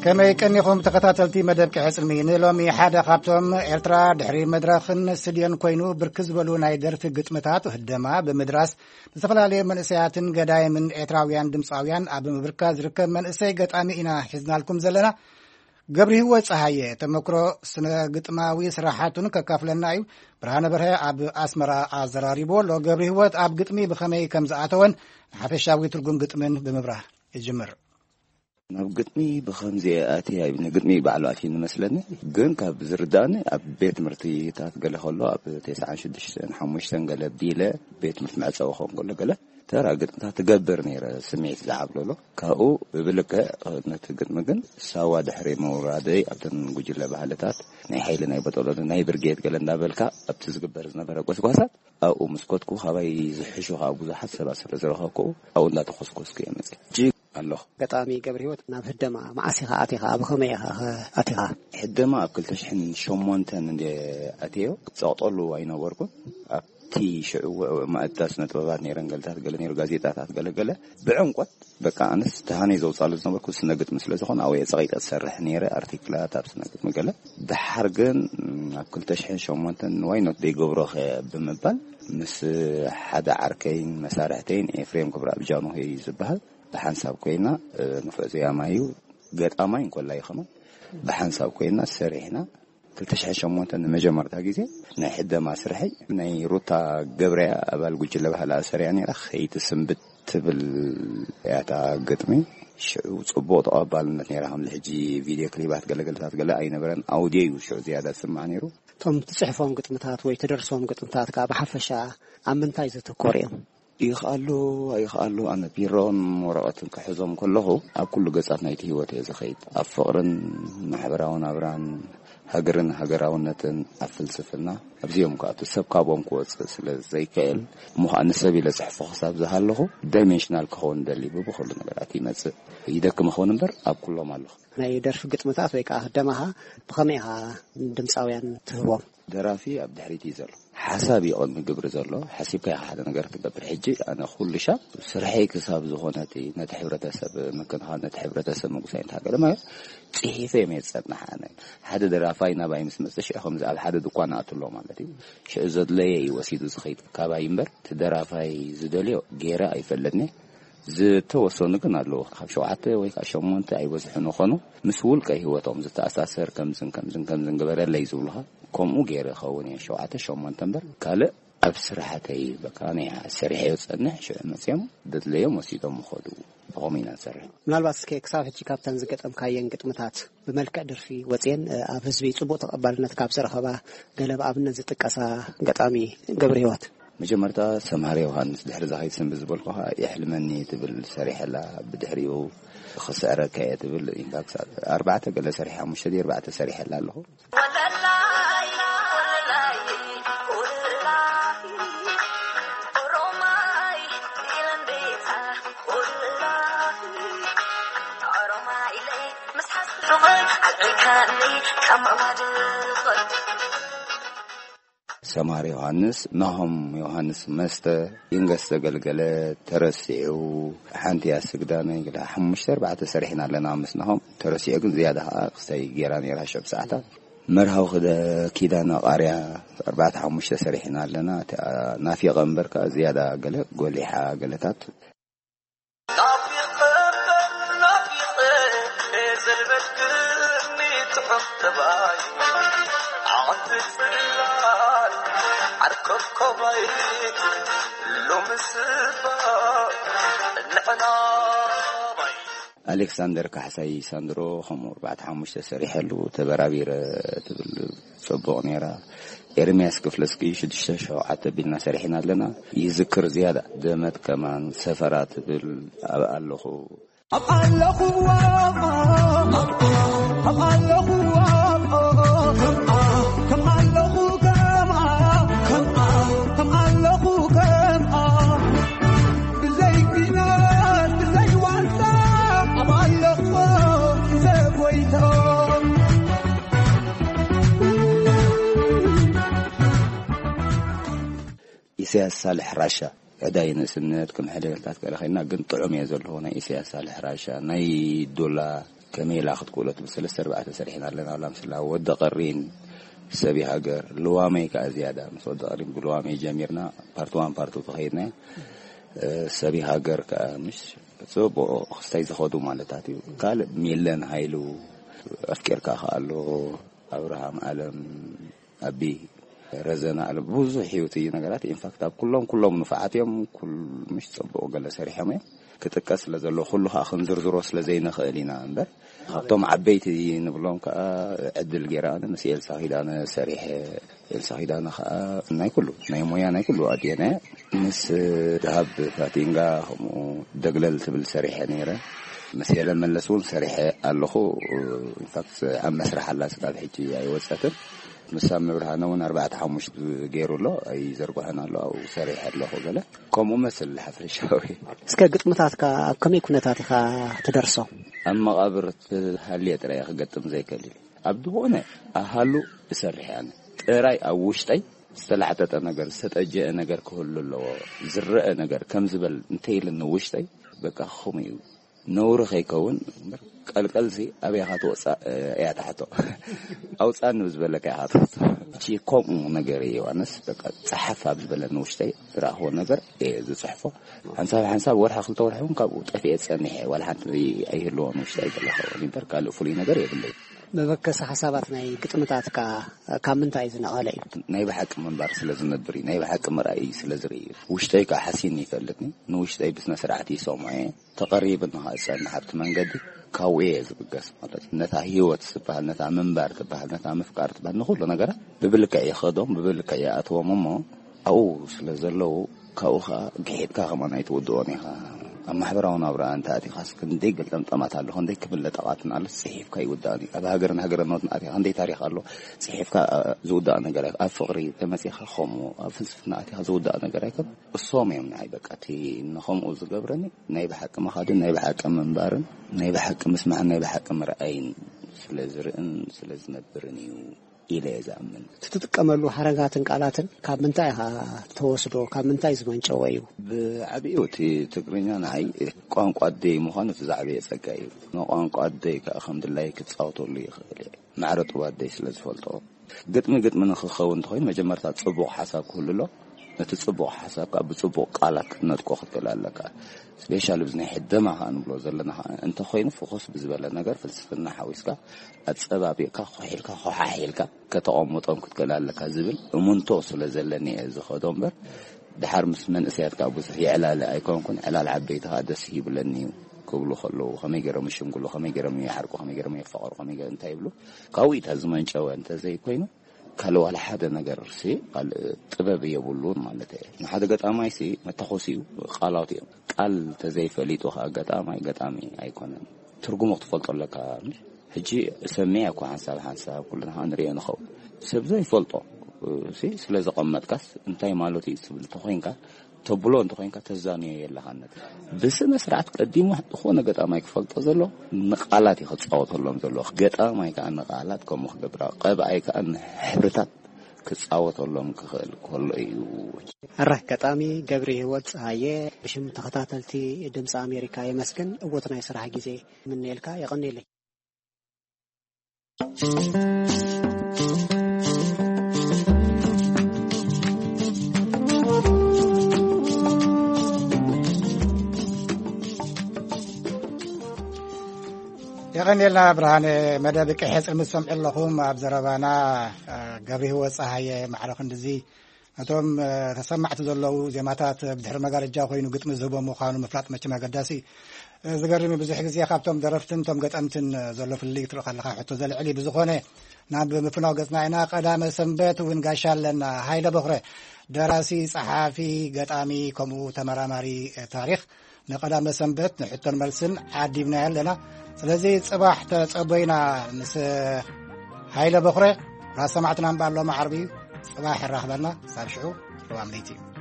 ከመይ ቀኒኹም ተኸታተልቲ መደብ ቂሐ ጽልሚ? ንሎሚ ሓደ ካብቶም ኤርትራ ድሕሪ መድረኽን ስድዮን ኮይኑ ብርክ ዝበሉ ናይ ደርፊ ግጥምታት ህደማ ብምድራስ ንዝተፈላለየ መንእሰያትን ገዳይምን ኤርትራውያን ድምፃውያን ኣብ ምብርካት ዝርከብ መንእሰይ ገጣሚ ኢና ሒዝናልኩም ዘለና። ገብሪ ህይወት ፀሃየ ተመክሮ ስነ ግጥማዊ ስራሓቱን ከካፍለና እዩ። ብርሃነ በርሀ ኣብ ኣስመራ ኣዘራሪቡ ኣሎ። ገብሪ ህይወት ኣብ ግጥሚ ብኸመይ ከም ዝኣተወን ንሓፈሻዊ ትርጉም ግጥምን ብምብራህ ይጅምር። ናብ ግጥሚ ብኸምዚ ኣትየ ኣይብልኒ። ግጥሚ ባዕሉ ኣትዩ ንመስለኒ፣ ግን ካብ ዝርዳእኒ ኣብ ቤት ትምህርቲታት ገለ ከሎ ኣብ ተስዓን ሽዱሽተን ሓሙሽተን ገለ ቢለ ቤት ትምህርቲ መዕጸዊ ክኸውን ከሎ ገለ ተራ ግጥምታት ትገብር ነይረ፣ ስምዒት ዝዓብለሎ። ካብኡ ብብልክዕ ነቲ ግጥሚ ግን ሳዋ ድሕሪ ምውራደይ ኣብተን ጉጅለ ባህልታት ናይ ሓይሊ ናይ በጠሎኒ ናይ ብርጌድ ገለ እንዳበልካ ኣብቲ ዝግበር ዝነበረ ጎስጓሳት ኣብኡ ምስ ኮትኩ ካባይ ዝሕሹ ከዓ ብዙሓት ሰባት ስለ ዝረኸብኩ ኣብኡ እንዳተኾስኮስኩ እየ መፅእ። እጅግ ኣለኹ። ገጣሚ ገብረ ህይወት ናብ ህደማ መዓስ ኢኻ ኣቲኻ? ኣብ ኸመይ ኢኻ ኸ ኣቲኻ? ሕደማ ኣብ ክልተ ሽሕን ሸሞንተን እንደ ኣትዮ ጸቕጠሉ ኣይነበርኩን። ኣብቲ ሽዑ ማእዳ ስነ ጥበባት ነይረን ገልታት ገለ ነይሩ፣ ጋዜጣታት ገለ ገለ ብዕምቆት በቃ ኣነስ ተሃነይ ዘውጻሉ ዝነበርኩ ስነ ግጥሚ ስለ ዝኾነ ኣብኡ እየ ጸቒጠ ዝሰርሕ ነይረ፣ ኣርቲክላት ኣብ ስነ ግጥሚ ገለ። ድሓር ግን ኣብ ክልተ ሽሕን ሸሞንተን ዋይ ኖት ዘይገብሮ ኸ ብምባል ምስ ሓደ ዓርከይን መሳርሕተይን ኤፍሬም ክብረኣብ ጃንሆይ ዝበሃል ብሓንሳብ ኮይና፣ እ፣ ንፉዕ ዘያማይ እዩ፣ ገጣማይ እንኮላይ ከማን ብሓንሳብ ኮይና ሰሪሕና። ክልተ ሽሕን ሸሞንተን ንመጀመርታ ግዜ ናይ ሕደማ ስርሐይ ናይ ሩታ ገብረያ ኣባል ጉጅለ ባህላ ሰሪያ ነይራ፣ ከይትስንብት ትብል እያ እታ ግጥሚ። ሽዑ ጽቡቕ ተቐባልነት ነይራ። ከም ሕጂ ቪድዮ ክሊባት ገለገለታት ገለ ኣይነበረን፣ ኣውድዮ እዩ ሽዑ ዝያዳ ዝስማዕ ነይሩ። እቶም ትጽሕፎም ግጥምታት ወይ ትደርሶም ግጥምታት ከኣ ብሓፈሻ ኣብ ምንታይ ዘተኮሩ እዮም? ይኽኣሉ ኣይኽኣሉ፣ ኣነ ቢሮን ወረቐትን ክሕዞም ከለኹ ኣብ ኩሉ ገጻት ናይቲ ህይወት እየ ዝኸይድ። ኣብ ፍቕርን ማሕበራዊ ናብራን፣ ሃገርን ሃገራውነትን፣ ኣብ ፍልስፍና፣ ኣብዚኦም ክኣቱ ሰብ ካብኦም ክወጽእ ስለ ዘይክእል፣ እሞ ኸኣ ንሰብ ኢለ ጽሕፎ ክሳብ ዝሃለኹ ዳይሜንሽናል ክኸውን ደሊ ብብኹሉ ነገራት ይመጽእ። ይደክም ይኸውን እምበር ኣብ ኩሎም ኣለኹ። ናይ ደርፊ ግጥምታት ወይ ከኣ ህደማኻ ብኸመይ ኢኻ ንድምጻውያን ትህቦም? ደራፊ ኣብ ድሕሪት እዩ ዘሎ። ሓሳብ እዩ ቅድሚ ግብሪ ዘሎ። ሓሲብካ ኢኻ ሓደ ነገር ትገብር። ሕጂ ኣነ ኩሉ ሻብ ስርሐይ ክሳብ ዝኾነ እቲ ነቲ ሕብረተሰብ ምክንኻን፣ ነቲ ሕብረተሰብ ምጉሳይ እንታይ ገለ ማለት ጽሒፈ እየ ዝጸንሕ ኣነ። ሓደ ደራፋይ ናባይ ምስ መጸ ሽዑ ከምዚ ኣብ ሓደ ድኳን ኣትሎ ማለት እዩ። ሽዑ ዘድለየ እዩ ወሲዱ ዝኸይድ ካባይ እምበር እቲ ደራፋይ ዝደልዮ ገይረ ኣይፈልጥን እየ። ዝተወሰኑ ግን ኣለዉ። ካብ ሸውዓተ ወይ ካብ ሸሞንተ ኣይበዝሑን ይኾኑ። ምስ ውልቀ ህይወቶም ዝተኣሳሰር ከምዝን ከምዝን ከምዝን ግበረለይ ዝብሉኻ። ከምኡ ገይረ ኸውን እየ ሸውዓተ ሸሞንተ እምበር ካልእ ኣብ ስራሕተይ በቃ ናይ ሰሪሐዮ ዝጸንሕ ሽዑ መጽዮም ዘድለዮም ወሲዶም ይኸዱ። ብኸምኡ ኢና ንሰርሕ። ምናልባት እስከ ክሳብ ሕጂ ካብተን ዝገጠምካየን ግጥምታት ብመልክዕ ደርፊ ወጽየን፣ እ፣ ኣብ ህዝቢ ጽቡቕ ተቐባልነት ካብ ዝረኸባ ገለ ብኣብነት ዝጥቀሳ ገጣሚ ገብረ ህይወት? መጀመርታ ሰምሃር ዮሃንስ፣ ድሕሪ እዛ ከይትስንብድ ዝበልኩኻ የሕልመኒ ትብል ሰሪሐላ፣ ብድሕሪኡ ክስዕረካ እየ ትብል። ኢንፋክት ኣርባዕተ ገለ ሰሪሐ፣ ሓሙሽተ ድዩ ኣርባዕተ ሰሪሐላ ኣለኹ። ሰምሃር ዮሃንስ፣ ናሆም ዮሃንስ መስተ፣ ይንገስ ዘገልገለ፣ ተረሲዑ፣ ሓንቲ እያ ስግዳመ፣ ገለ ሓሙሽተ ኣርባዕተ ሰሪሕና ኣለና ምስ ናሆም። ተረሲዑ ግን ዝያዳ ኸዓ ክስታይ ገይራ ነይራ ሸብ ሰዓታት። መርሃዊ ክደ-፣ ኪዳነ ቃርያ ኣርባዕተ ሓሙሽተ ሰሪሕና ኣለና። እቲኣ ናፊቐ እምበር ከኣ ዝያዳ ገለ ጎሊሓ ገለታት። ናፊቐ እምበር ናፊቐ ዘልበስክኒ ትሑት ጠባይ ዓቕንቲ ጽላል ዓርከፍከባይ ሎምስ እባ ንዕና ባይ። ኣሌክሳንደር ካሕሳይ ሳንድሮ ከምኡ ኣርባዕተ ሓሙሽተ ሰሪሐሉ። ተበራቢረ ትብል ጽቡቕ ነይራ። ኤርምያስ ክፍለስኪ ሽዱሽተ ሸውዓተ ቢልና ሰሪሕና ኣለና። ይዝክር ዝያዳ ደመት ከማን ሰፈራ ትብል ኣብ ኣለኹ ኣብ ኣለኹዋ፣ ኣብ ኣለኹዋ፣ ከምኣ፣ ከም ኣለኹ፣ ከምኣ፣ ከምኣ፣ ከም ኣለኹ፣ ከምኣ። ብዘይ ኲናት፣ ብዘይ ዋልታ፣ ኣብ ኣለኹ፣ ዘጎይታ። ኢሳያስ ሳልሕ ራሻ። ዕዳይ ንእስነት ከም ሕደገልታት ከለኸና ግን ጥዑም እየ ዘለዎ። ናይ ኢሳያስ ሳልሕ ራሻ፣ ናይ ዶላ ከመይ ኢላ ክትክእሎ ትብል ሰለስተ ኣርባዕተ ሰሪሕና ኣለና። ላምስላ ወዲ ቀሪን፣ ሰቢ ሃገር፣ ልዋመይ ከኣ ዝያዳ ምስ ወዲ ቀሪን ብልዋመይ ጀሚርና ፓርት ዋን ፓርት ቱ ተኸይድና። እ፣ ሰቢ ሃገር ከኣ ምስ ጽቡቕ ክስታይ ዝኸዱ ማለታት እዩ። ካልእ ሚለን ሃይሉ፣ ኣፍቂርካ ከኣ ኣሎ፣ ኣብርሃም ኣለም፣ ኣቢ ረዘና ኣሎ። ብዙሕ ህይወት እዩ ነገራት። ኢንፋክት ኣብ ኩሎም፣ ኩሎም ንፉዓት እዮም። ኩል-፣ ምሽ ጽቡቕ ገለ ሰሪሖም እዮም። ክጥቀስ ስለ ዘሎ ኩሉ ከኣ ክንዝርዝሮ ስለ ዘይንኽእል ኢና እምበር፣ ካብቶም ዓበይቲ ንብሎም ከኣ ዕድል ገይረ ኣነ ምስ ኤልሳ ኪዳነ ሰሪሐ። ኤልሳ ኪዳነ ከኣ ናይ ኩሉ፣ ናይ ሞያ ናይ ኩሉ ኣድየነ። ምስ ደሃብ ፋቲንጋ ከምኡ ደግለል ትብል ሰሪሐ ነይረ። ምስ ሄለን መለስ እውን ሰሪሐ ኣለኹ። ኢንፋክት ኣብ መስርሕ ኣላ፣ ስጋብ ሕጂ ኣይወጸትን። ምስ ሳሚ ብርሃነ እውን ኣርባዕተ ሓሙሽተ ገይሩ ኣሎ፣ ኣይዘርግሖን ኣሎ፣ ኣብኡ ሰሪሐ ኣለኹ ገለ። ከምኡ መስል ሓፈሻዊ። እስከ ግጥምታትካ ኣብ ከመይ ኩነታት ኢኻ ትደርሶ? ኣብ መቓብር ትሃልየ ጥራይ እየ ክገጥም ዘይከልል። ኣብ ዝኾነ ኣሃሉ እሰርሕ እየ ኣነ። ጥራይ ኣብ ውሽጠይ ዝተላዕጠጠ ነገር፣ ዝተጠጀአ ነገር ክህሉ ኣለዎ። ዝረአ ነገር ከም ዝበል እንተይልኒ ውሽጠይ፣ በቃ፣ ከምኡ እዩ። ነውሪ ከይከውን እምበር፣ ቀልቀልሲ ኣበይ ኢኻ ትወጻእ እያ ትሓቶ። ኣውጻኒ ብዝበለካ ኢኻ ትወጽእ። እቺ ከምኡ ነገር እየ፣ ዮሃንስ፣ በቃ፣ ጸሓፍ ኣብ ዝበለኒ ውሽጠይ ዝረኣኽዎ ነገር እየ ዝጽሕፎ። ሓንሳብ ሓንሳብ ወርሒ ክልተ ወርሒ እውን ካብኡ ጠፊኤ ጸኒሐ፣ ዋላ ሓንቲ ኣይህልዎን ውሽጠይ ዘለኸውን እምበር፣ ካልእ ፍሉይ ነገር የብለይ። መበገሲ ሓሳባት ናይ ግጥምታትካ ካብ ምንታይ ዝነቐለ እዩ? ናይ ብሓቂ ምንባር ስለ ዝነብር እዩ። ናይ ብሓቂ ምርኣይ ስለ ዝርኢ እዩ። ውሽጠይ ከዓ ሓሲኒ ይፈልጥኒ። ንውሽጠይ ብስነ ስርዓት ይሰምዖ እየ። ተቐሪብኒ ከዓ ዝጸንሕ ኣብቲ መንገዲ ካብኡ እየ ዝብገስ ማለት እዩ። ነታ ህይወት ዝበሃል፣ ነታ ምንባር ትበሃል፣ ነታ ምፍቃር ትበሃል፣ ንኹሉ ነገራት ብብልክዕ ይኸዶም፣ ብብልክዕ ይኣትዎም እሞ ኣብኡ ስለ ዘለዉ፣ ካብኡ ኸዓ ግሒድካ ከማን ኣይትውድኦን ኢኻ። ኣብ ማሕበራዊ ናብራ እንተ ኣቲኻስ ክንደይ ገልጠምጠማት ኣሎ፣ ክንደይ ክብል ለጠቓትን ኣሎ፣ ጽሒፍካ ኣይውዳእን እዩ። ኣብ ሃገርን ሃገረኖትን ኣቲኻ ክንደይ ታሪኽ ኣሎ፣ ጽሒፍካ፣ እ፣ ዝውዳእ ነገር ኣይ-፣ ኣብ ፍቕሪ ተመጺኻ ከምኡ፣ ኣብ ፍልስፍና ኣቲኻ ዝውዳእ ነገር ኣይኮን። እሶም እዮም ንዓይ በቃ እቲ ንኸምኡ ዝገብረኒ፣ ናይ ብሓቂ ምኻድን ናይ ብሓቂ ምንባርን ናይ ብሓቂ ምስማዕን ናይ ብሓቂ ምርኣይን ስለ ዝርእን ስለ ዝነብርን እዩ። ኢለ እየ ዝኣምን። እቲ ትጥቀመሉ ሓረጋትን ቃላትን ካብ ምንታይ ኢኻ ተወስዶ? ካብ ምንታይ ዝመንጨወ እዩ? ብዓቢኡ እቲ ትግርኛ ንዓይ ቋንቋ ኣደይ ምዃኑ እቲ ዝዓበየ ጸጋ እዩ። ንቋንቋ ኣደይ ከኣ ከም ድላየ ክጻወተሉ ይኽእል እየ። ማዕረ ጡብ ኣደይ ስለ ዝፈልጦ። ግጥሚ ግጥሚ ንኽኸውን እንተኾይኑ መጀመርታ ጽቡቕ ሓሳብ ክህሉ ኣሎ። ነቲ ጽቡቕ ሓሳብ ከኣ ብጽቡቕ ቃላት ክትነጥቆ ክትክእል ኣለካ። ስፔሻሊ ብዚ ናይ ሕደማ ከኣ ንብሎ ዘለና ከኣ እንተኾይኑ ፍኹስ ብዝበለ ነገር ፍልስፍና ሓዊስካ ኣጸባቢቕካ፣ ኮሒልካ፣ ኮሓሒልካ ከተቐምጦም ክትክእል ኣለካ ዝብል እሙንቶ ስለ ዘለኒ እየ ዝኸዶ እምበር፣ ድሓር ምስ መንእሰያት ከኣ ብዙሕ ይዕላለ ኣይኮንኩን። ዕላል ዓበይቲ ከኣ ደስ ይብለኒ እዩ ክብሉ ከለዉ፣ ከመይ ገይሮም ይሽምግሉ፣ ከመይ ገይሮም ይሓርቁ፣ ከመይ ገይሮም የፋቕሩ፣ ከመይ ገይሮም እንታይ ይብሉ፣ ካብኡ እዩ እታ ዝመንጨወ እንተዘይኮይኑ፣ ካልእ ዋላ ሓደ ነገር ሲ፣ ካልእ ጥበብ የብሉን ማለት እየ። ንሓደ ገጣማይ ሲ መተኮሲኡ ቃላት እዮም። ቃል ተዘይፈሊጡ ከኣ ገጣማይ ገጣሚ ኣይኮነን። ትርጉሙ ክትፈልጦ ኣለካ። ሕጂ ሰሚዐ እኮ ሓንሳብ ሓንሳብ ኩልና ከኣ ንሪኦ ንኸውን። ሰብ ዘይፈልጦ ሲ ስለ ዘቐመጥካስ እንታይ ማለቱ እዩ ትብል እንተኾይንካ፣ ተብሎ እንተኾይንካ ተዛንዮ የለኻን። ነቲ ብስነ ስርዓት ቀዲሙ ዝኾነ ገጣማይ ክፈልጦ ዘሎ ንቃላት እዩ ክጻወተሎም ዘሎ። ገጣማይ ከኣ ንቃላት ከምኡ ክገብራ፣ ቀብኣይ ከኣ ንሕብርታት ክጻወተሎም ክኽእል ከሎ እዩ። ኣረ፣ ገጣሚ ገብረ ህይወት ጸሃየ፣ ብሽም ተኸታተልቲ ድምፂ ኣሜሪካ የመስግን። እወት ናይ ስራሕ ግዜ ምንየልካ። የቐንየለይ። የቐንየልና ብርሃነ። መደብ ቀይሕ ጽልምት ትሰምዑ ኣለኹም። ኣብ ዘረባና፣ እ፣ ገብረ ህይወት ጸሃየ ማዕረ ክንድዚ እቶም ተሰማዕቲ ዘለዉ ዜማታት ብድሕሪ መጋረጃ ኮይኑ ግጥሚ ዝህቦም ምዃኑ ምፍላጥ መቸም ኣገዳሲ እዩ። ዝገርም እዩ፣ ብዙሕ ግዜ ካብቶም ደረፍትን እቶም ገጠምትን ዘሎ ፍልልይ ክትርኢ ከለኻ ሕቶ ዘልዕል እዩ። ብዝኾነ ናብ ምፍናው ገጽና ኢና። ቀዳመ ሰንበት እውን ጋሻ ኣለና። ሃይለ በኽረ፣ ደራሲ፣ ጸሓፊ፣ ገጣሚ፣ ከምኡ ተመራማሪ ታሪኽ፣ ንቐዳመ ሰንበት ንሕቶን መልስን ዓዲብናዮ ኣለና። ስለዚ ጽባሕ ተጸበዩና ምስ ሃይለ በኽረ። ራሰማዕትና እምበኣር ሎሚ ዓርቢ እዩ። ጽባሕ ይራኽበና። ሳብ ሽዑ፣ ርዋም ለይቲ።